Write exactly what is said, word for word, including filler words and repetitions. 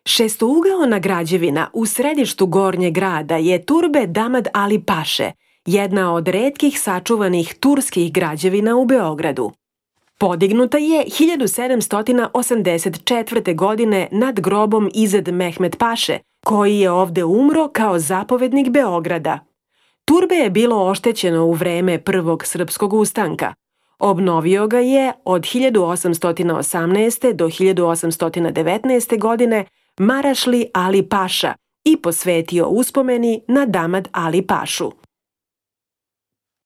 Šestougaona građevina u središtu Gornjeg grada je turbe Damad Ali Paše, jedna od retkih sačuvanih turskih građevina u Beogradu. Podignuta je hiljadu sedamsto osamdeset četvrte. godine nad grobom Izet Mehmet Paše, koji je ovde umro kao zapovednik Beograda. Turbe je bilo oštećeno u vreme Prvog srpskog ustanka. Obnovio ga je od hiljadu osamsto osamnaeste. do hiljadu osamsto devetnaeste. godine Marašli Ali Paša i posvetio uspomeni na Damad Ali Pašu.